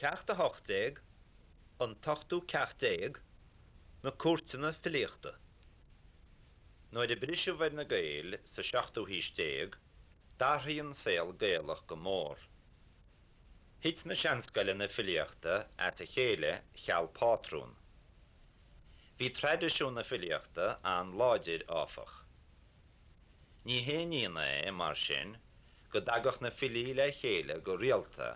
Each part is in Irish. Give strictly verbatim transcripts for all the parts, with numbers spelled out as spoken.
Ceacht a hocht déag, An t-ochtú ceacht déag, Na Cúirteanna Filíochta. Nuair a briseadh ar na Gaeil sa seachtú haois déag, d'athraigh an saol Gaelach go mór. Thit na seanscoileanna filíochta as a chéile cheal pátrún. Bhí traidisiún na filíochta an-láidir, áfach. Ní haon ionadh é, mar sin, go dtagadh na filí le chéile go rialta,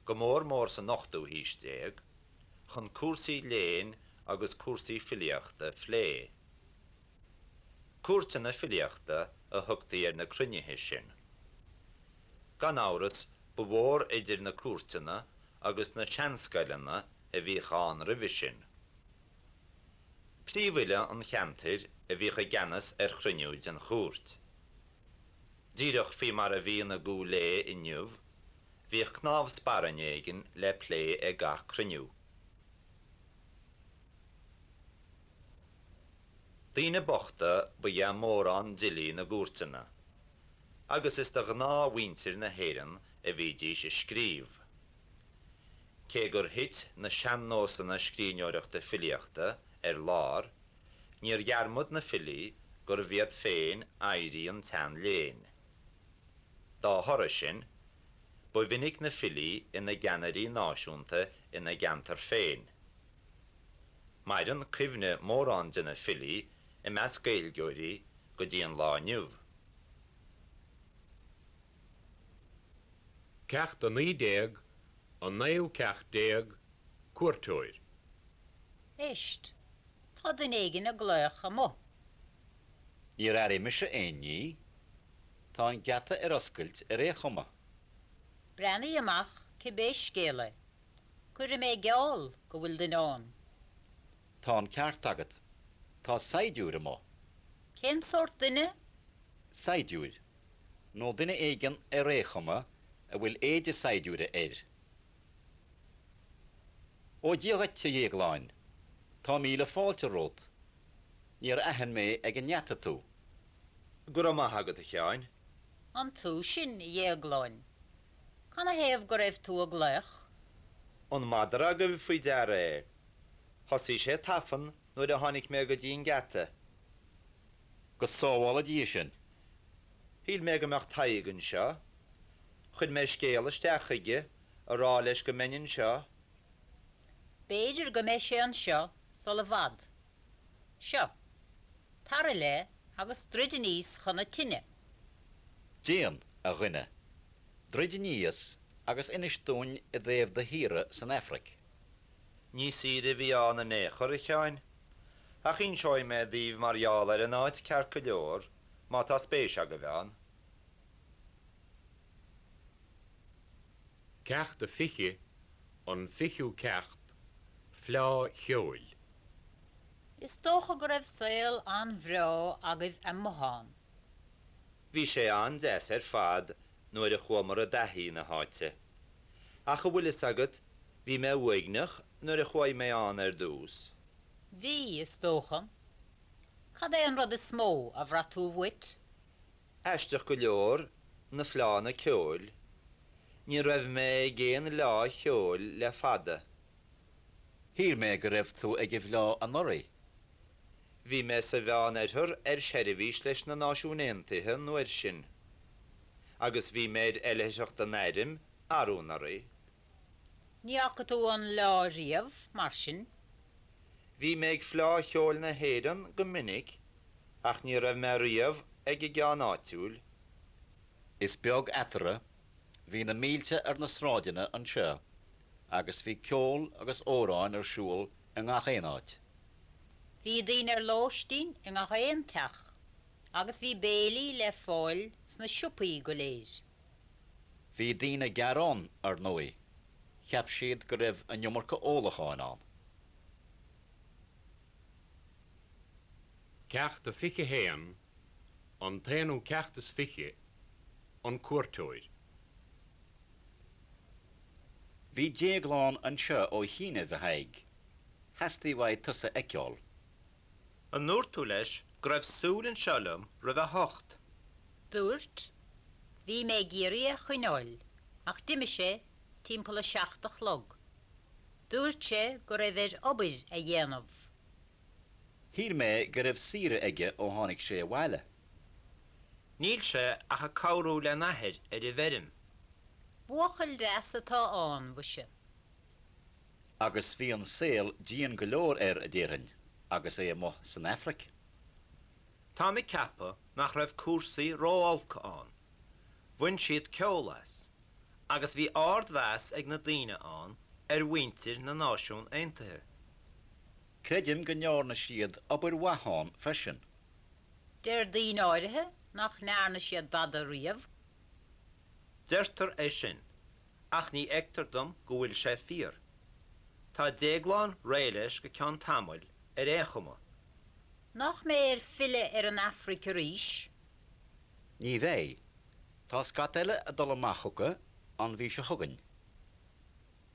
go mór mór san ochtú haois déag, chun cúrsaí léinn agus cúrsaí filíochta a phlé. Cúirteanna filíochta a thugtaí ar na cruinnithe sin. Gan amhras, ba mhór idir na cúirteanna agus na seanscoileanna a bhíodh ann roimhe sin. Príomhfhile an cheantair a bhíodh i gceannas ar chruinniú den chúirt. Díreach faoi mar a bhíonn i gCúil Aodha inniu, bhíodh cnámh sparainne éigin le plé ag gach cruinniú. Daoine bochta ba ea mórán d'fhilí na gcúirteanna, agus is do ghnáthmhuintir na hÉireann a bhídís ag scríobh. Cé gur thit na sean-nósanna scríbhneoireachta filíochta ar lár, níor dhearmad na filí gurbh iad féin oidhrí an tsean-léinn. Dá thoradh sin, ba mhinic na filí ina gceannairí náisiúnta ina gceantar féin. Maireann cuimhne mórán de na filí i measc Gaeilgeoirí go dtí an lá inniu. Ceacht a naoi déag, An naoú ceacht déag, Cuairteoir. Éist, tá duine éigin ag glaoch amuigh. Níor airigh mise aon ní. Tá an geata ar oscailt ar aon chuma. Breathnaigh amach cibé scéal é. Cuirfidh mé geall go bhfuil duine ann. Tá an ceart agat. Tá saighdiúir amuigh. Cén sórt duine? Saighdiúir. Nó duine éigin ar aon chuma a bhfuil éide saighdiúra air. Ó Dia dhuit, a Dhéagláin. Tá míle fáilte romhat. Níor aithin mé ag an ngeata tú. Go raibh maith agat, a Sheáin. An tú sin, a Dhéagláin? Canathaobh go raibh tú ag glaoch? An madra agaibh faoi deara é? Thosaigh sé ag tafann nuair a tháinig mé go dtí an geata. Go sábhála Dia sinn. Shíl mé go mbeadh Tadhg anseo. Chuir mé scéal isteach chuige a rá leis go mbeinn anseo. B'fhéidir go mbeidh sé anseo sul i bhfad. Seo. Tar i leith agus druid aníos chun na tine. Déan, a dhuine. Druid aníos agus inis dúinn i dtaobh do shaoire san Afraic. Ní saoire a bhí ann in aon chor, a Sheáin. Ach inseoidh mé daoibh mar gheall ar an áit ceart go leor, má tá spéis agaibh ann. Ceacht a fiche, An fichiú ceacht, Fleá Cheoil. Is dócha go raibh saol an-bhreá agaibh amuigh ann. Bhí sé an-deas ar fad nuair a chuamar i dtaithí na háite. Ach a bhfuil fhios agat, bhí mé uaigneach nuair a chuaigh mé ann ar dtús. Bhí, is dócha. Cad é an rud is mó a bhraith tú uait? Aisteach go leor, na fleánna ceoil. Ní raibh mé ag aon fhleá cheoil le fada. Shíl mé go raibh tú ag an bhfleá anuraidh. Bhí mé sa Mheánoirthear ar seirbhís leis na Náisiúin Aontaithe an uair sin. Agus bhí mé ar oilithreacht an airm arú anuraidh. Ní fhaca tú an fhleá riamh, mar sin? Bhí mé ag Fleá Cheoil na hÉireann go minic ach ní raibh mé riamh ag an gceann áitiúil. Is beag eatarthu, bhí na mílte ar na sráideanna anseo agus bhí ceol agus amhráin ar siúl i ngach aon áit. Bhí daoine ar lóistín i ngach aon teach agus bhí béilí le fáil sna siopaí go léir. Bhí daoine ag gearán, ar ndóigh. Cheap siad go raibh an iomarca ólacháin ann. Ceacht a fiche haon, An t-aonú ceacht is fiche, An Cuairteoir. Bhí Déaglán anseo ó chianaibh, a Thaidhg. Theastaigh uaidh tusa a fheiceáil. An ndúirt tú leis go raibh súil anseo liom roimh a hocht? Dúirt. Bhí mé ag iarraidh é a choinneáil, ach d'imigh sé timpeall a seacht a chlog. Dúirt sé go raibh air obair a dhéanamh. Shíl mé go raibh saoire aige ó tháinig sé abhaile. Níl sé ach ag cabhrú lena athair ar an bhfeirm. Buachaill deas atá ann, mhuise. Agus bhí an saol dian go leor air, a déarfainn, agus é amuigh san Afraic. Táim ag ceapadh nach raibh cúrsaí ró-olc ann. Bhain siad ceol as, agus bhí ardmheas ag na daoine ann ar mhuintir na Náisiún Aontaithe. Creidim go ndearna siad obair mhaith ann freisin. Deir daoine áirithe nach ndearna siad dada riamh. Deirtear é sin, ach ní fheictear dom go bhfuil sé fíor. Tá Déaglán réidh leis go ceann tamaill ar aon chuma. Nach mbeidh air filleadh ar an Afraic arís? Ní bheidh. Tá scata eile ag dul amach chucu an mhí seo chugainn.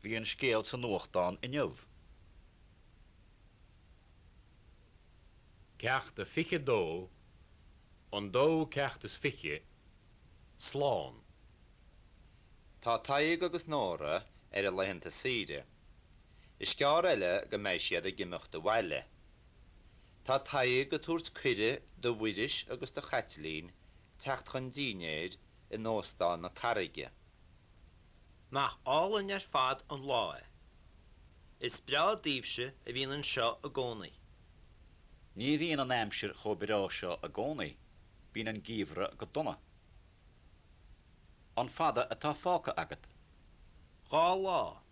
Bhí an scéal sa nuachtán inniu. Ceacht a fiche dó, an dóú ceacht is fiche, Slán. Tá Tadhg agus Nóra ar a laethanta saoire. Is gearr eile go mbeidh siad ag imeacht abhaile. Tá Tadhg ag tabhairt cuireadh do Mhuiris agus do Chaitlín teacht chun dinnéir in Óstán na Carraige. Nach álainn ar fad an lá é. Is breá daoibhse a bhíonn anseo i gcónaí. Ní bhíonn an aimsir chomh breá seo i gcónaí, bíonn an geimhreadh go dona. An fada atá fágtha agat? Dhá lá.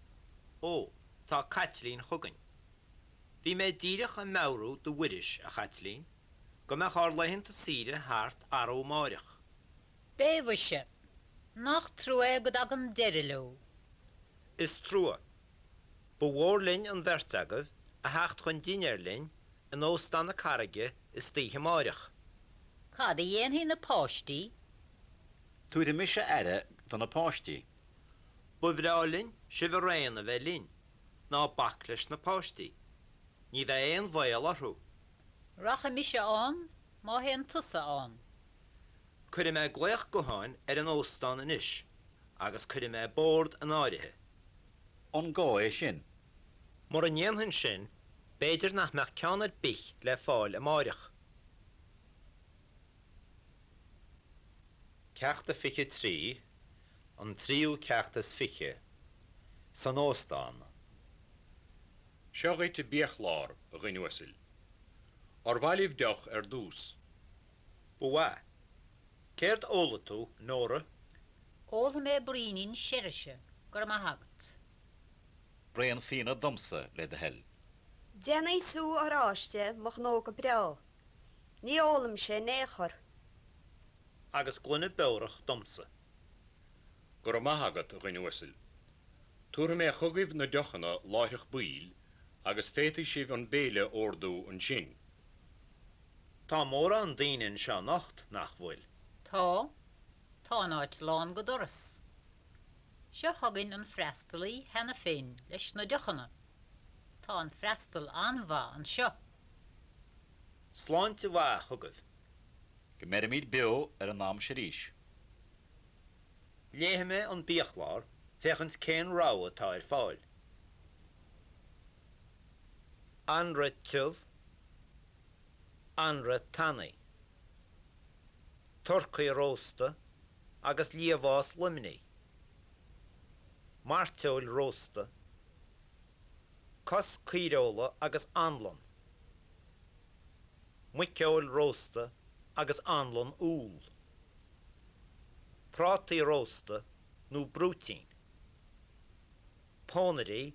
Ó, tá Caitlín chugainn. Bhí mé díreach ag meabhrú do Mhuiris, a Chaitlín, go mbeadh ár laethanta saoire thart arú amáireach. Beidh, mhuise. Nach trua é go dtagann deireadh leo. Is trua. Ba mhór linn an bheirt agaibh a theacht chun dinnéir linn in Óstán na Carraige istoíche amáireach. Cad a dhéanfaidh na páistí? Tabharfaidh mise aire do na páistí. Ba bhreá linn sibh araon a bheith linn. Ná bac leis na páistí. Ní bheidh aon bhaol orthu. Rachaidh mise ann má théann tusa ann. Cuirfidh mé glaoch gutháin ar an óstán anois agus cuirfidh mé bord in áirithe. An gá é sin? Mura ndéanfainn sin, b'fhéidir nach mbeadh ceann ar bith le fáil amáireach. Ceacht a fiche trí, an tríú ceacht is fiche, san óstán. Seo dhuit an biachlár, a dhuine uasail. Ar mhaith libh deoch ar dtús? Ba mhaith. Céard ólfaidh tú, Nóra? Ólfaidh mé braoinín seirise, go raibh maith agat. Braon fíona domsa, le do thoil. Déanfaidh sú oráiste mo ghnó go breá. Ní ólaimse in aon chor. Agus gloine beorach domsa. Go raibh maith agat, a dhuine uasail. Tabharfaidh mé chugaibh na deochanna láithreach baill agus féadfaidh sibh an béile a ordú ansin. Tá mórán daoine anseo anocht, nach bhfuil? Tá. Tá an áit lán go doras. Seo chugainn an freastalaí cheana féin leis na deochanna. Tá an freastal an-mhaith anseo. Sláinte mhaith chugaibh. Go mbeirimid beo ar an am seo arís. Léifidh mé an biachlár féachaint cén rogha atá ar fáil. Anraith tiubh, anraith tanaí. Turcaí rósta agus liamhás Luimnigh. Mairteoil rósta. Cos caoireola agus anlann. Muiceoil rósta agus anlann úll. Prátaí rósta nó brúitín. Pónairí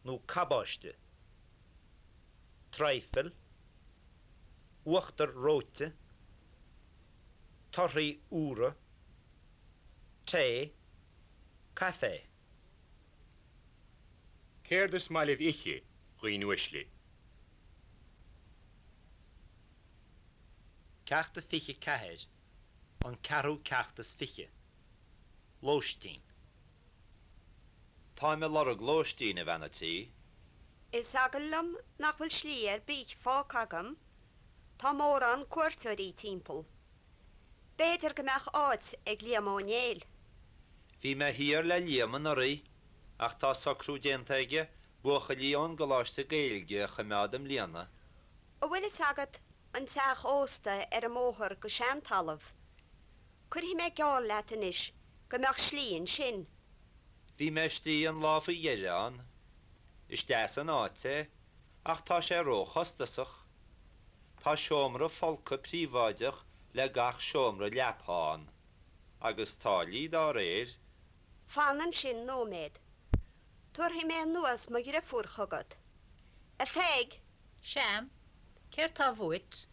nó cabáiste. Traidhfil. Uachtar reoite. Torthaí úra. Tae. Caife. Céard is maith libh ithe, a dhaoine uaisle? Ceacht a fiche ceathair, an ceathrú ceacht is fiche. Lóistín. Táim ag lorg lóistín, a bhean a' tí. Is eagal liom nach bhfuil slí ar bith fágtha agam, tá mórán cuairteoirí timpeall. B'fhéidir go mbeadh áit ag Liam Ó Néill. Bhí mé thiar le Liam anuraidh ach tá socrú déanta aige Buachaillí ón gColáiste Gaeilge a choimeád i mbliana. An bhfuil fhios agat an teach ósta ar an mbóthar go Seantalamh? Cuirfidh mé geall leat anois go mbeadh slí ansin. Bhí mé istigh an lá faoi dheireadh ann. Is deas an áit é, ach tá sé róchostasach. Tá seomra folctha príobháideach le gach seomra leapa ann, agus táillí dá réir. Fan ansin nóiméad. Tabharfaidh mé anuas mo dheirfiúr chugat. A Pheig! Sea, céard tá uait?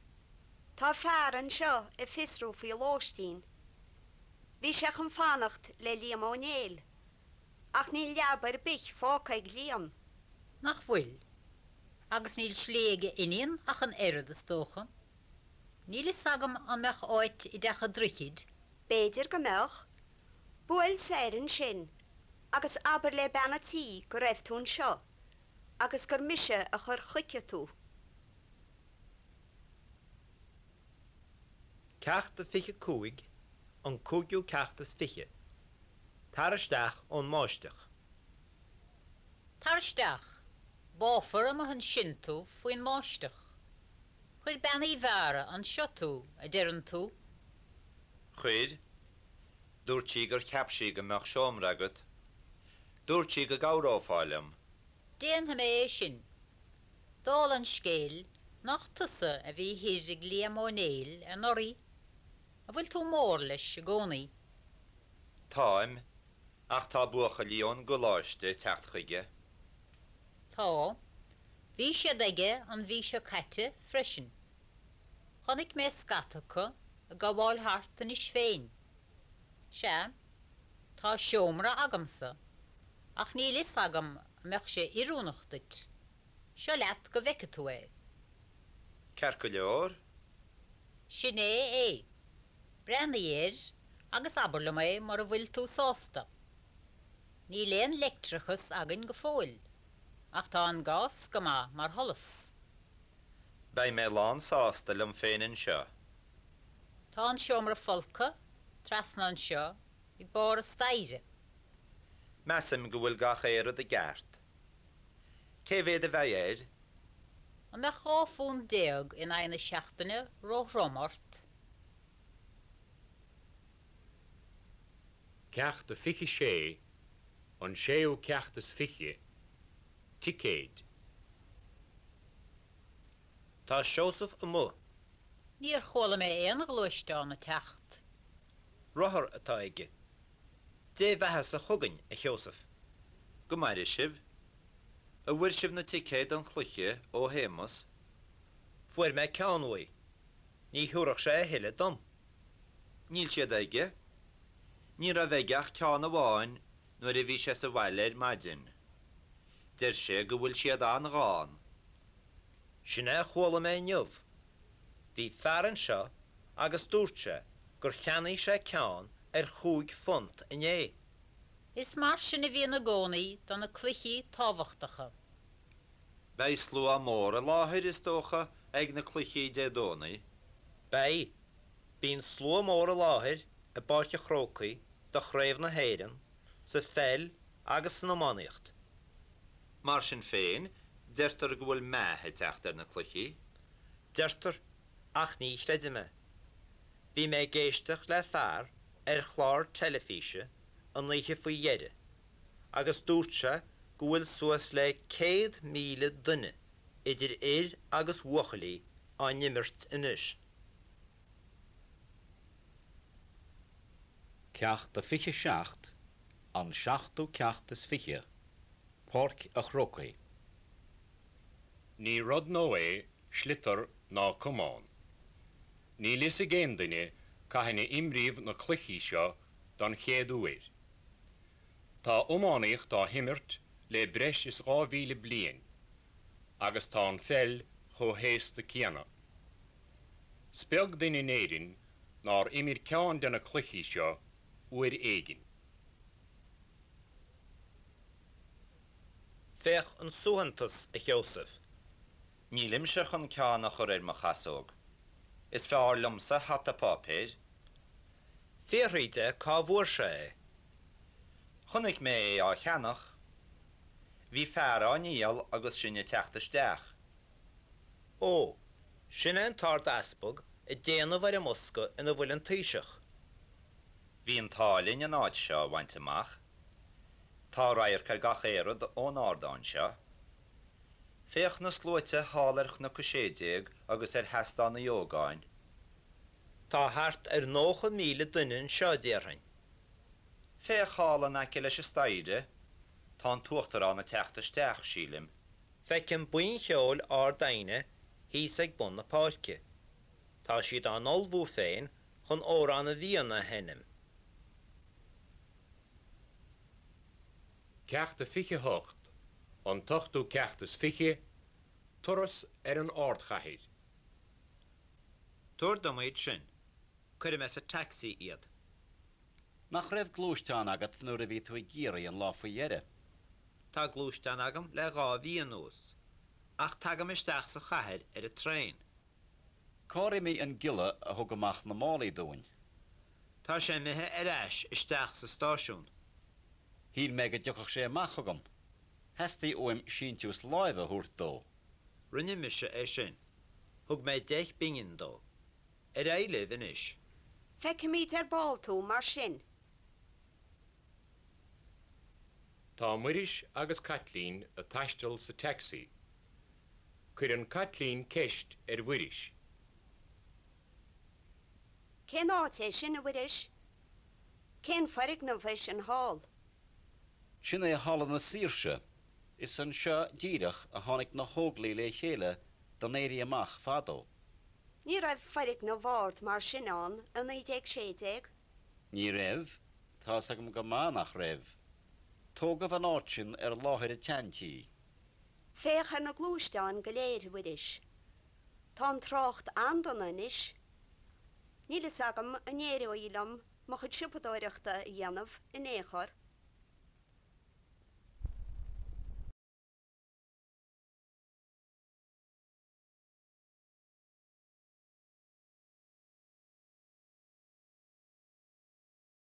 Tá fear anseo ag fiosrú faoi lóistín. Bhí sé chun fanacht le Liam Ó Néill. Ach níl leaba ar bith fágtha ag Liam. Nach bhfuil? Agus níl slí ag a iníon ach an oiread, is dócha. Níl fhios agam an mbeadh áit i dTeach an Droichid. B'fhéidir go mbeadh. Buail soir ansin agus abair le bean an tí go raibh tú anseo agus gur mise a chuir chuici tú. Ceacht a fiche cúig, an cúigiú ceacht is fiche. Tar isteach ón mbáisteach. Tar isteach. Báfar amuigh ansin tú faoin mbáisteach. Chuir Bean Uí Mheára anseo tú, a deireann tú? Chuir. Dúirt sí gur cheap sí go mbeadh seomra agat. Dúirt sí go gcabhrófá liom. Déanfaidh mé é sin. Dála an scéil, nach tusa a bhí thoir ag Liam Ó Néill anuraidh? An bhfuil tú mór leis i gcónaí? Táim, ach tá buachaillí ón gcoláiste ag teacht chuige. Tá. Bhí siad aige an mhí seo caite freisin. Chonaic mé scata acu ag gabháil thart anois féin. Sea, tá seomra agamsa. Ach níl fhios agam an mbeadh sé oiriúnach duit. Seo leat go bhfeice tú é. Ceart go leor. Sin é é. Breathnaigh air agus abair liom é mura bhfuil tú sásta. Níl aon leictreachas againn go fóill, ach tá an gás go maith mar sholas. Beidh mé lánsásta liom féin anseo. Tá an seomra folctha trasna anseo ag barr an staighre. Measaim go bhfuil gach aon rud i gceart. Cé mhéad a bheidh air? An mbeadh dhá phunt déag in aghaidh na seachtaine róthrom ort? Ceacht a fiche sé, an séú ceacht is fiche, ticéid. Tá Seosamh amuigh. Níor chuala mé aon ghluaisteán ag teacht. Rothar atá aige. Dé bheathasa chugainn, a Sheosaimh. Go maire sibh. An bhfuair sibh na ticéid don chluiche ó Shéamus? Fuair mé ceann uaidh. Ní thabharfadh sé a thuilleadh dom. Níl siad aige. Ní raibh aige ach ceann amháin nuair a bhí sé sa bhaile ar maidin. Deir sé go bhfuil siad an-ghann. Sin é a chuala mé inniu. Bhí fear anseo agus dúirt sé gur cheannaigh sé ceann ar chúig phunt inné. Is mar sin a bhíonn i gcónaí do na cluichí tábhachtacha. Beidh slua mór i láthair, is dócha, ag na cluichí Dé Domhnaigh. Beidh. Bíonn slua mór i láthair i bPáirc an Chrócaigh do Chraobh na hÉireann sa pheil agus san iománaíocht. Mar sin féin, deirtear go bhfuil meath ag teacht ar na cluichí. Deirtear, ach ní chreidim é. Bhí mé ag éisteacht le fear ar chlár teilifíse an oíche faoi dheireadh agus dúirt sé go bhfuil suas le céad míle duine, idir fhir agus bhuachaillí, á n-imirt anois. Ceacht a fiche seacht, an seachtú ceacht is fiche, Páirc a' Chrócaigh. Ní rud nua é sliotar ná camán. Níl fhios ag aon duine cathain a imríodh na cluichí seo don chéad uair. Tá iománaíocht á himirt le breis is dhá mhíle bliain agus tá an pheil chomh haosta céanna. Is beag duine in Éirinn nár imir ceann de na cluichí seo uair éigin. Féach an suaitheantas, a Sheosaimh. Nílimse chun ceann a chur ar mo chasóg. Is fearr liomsa hata páipéir. Fiafraigh de cá bhfuair sé é. Chonaic mé é á cheannach. Bhí fear á ndíol agus sinn ag teacht isteach. Ó, sin é an tArd-Easpag ag déanamh ar an mbosca ina bhfuil an Taoiseach. Bhí an t-ádh linn an áit seo a bhaint amach. Tá radharc ar gach aon rud ón ardán seo. Féach na sluaite thall ar Chnoc a Sé Déag agus ar Sheastán Uí Ógáin. Tá thart ar nócha míle duine anseo, déarfainn. Féach thall in aice leis an staighre, tá an tUachtarán ag teacht isteach, sílim. Feicim buíon cheoil Ard Aidhne thíos ag bun na páirce. Tá siad á n-ullmhú féin chun Amhrán na bhFiann a sheinm. Ceacht a fiche hocht, an t-ochtú ceacht is fiche, turas ar an ardchathair. Tabhair dom iad sin. Cuirfidh mé sa taxi iad. Nach raibh gluaisteán agat nuair a bhí tú i gCiarraí an lá faoi dheireadh? Tá gluaisteán agam le dhá mhí anuas, ach tagaim isteach sa chathair ar an traein. Cár imigh an giolla a thug amach na málaí dúinn? Tá sé imithe ar ais isteach sa stáisiún. Shíl mé go dtiocfadh sé amach chugam. Theastaigh uaim síntiús láimhe a thabhairt dó. Rinne mise é sin. Thug mé deich bpingin dó. Ar aghaidh libh anois. Feicfimid ar ball tú mar sin. Tá Muiris agus Caitlín ag taisteal sa taxi. Cuireann Caitlín ceist ar Mhuiris. Cén áit é sin, a Mhuiris? Cén foirgneamh é sin thall? Sin é Halla na Saoirse. Is anseo díreach a tháinig na hÓglaigh le chéile don Éirí Amach fadó. Ní raibh foirgneamh ard mar sin ann i naoi déag sé déag. Ní raibh, tá's agam go maith nach raibh. Tógadh an áit sin ar láthair an tseantí. Féach ar na gluaisteáin go léir, a Mhuiris. Tá an trácht an-dona anois. Níl fhios agam an éireoidh liom mo chuid siopadóireachta a dhéanamh in aon chor.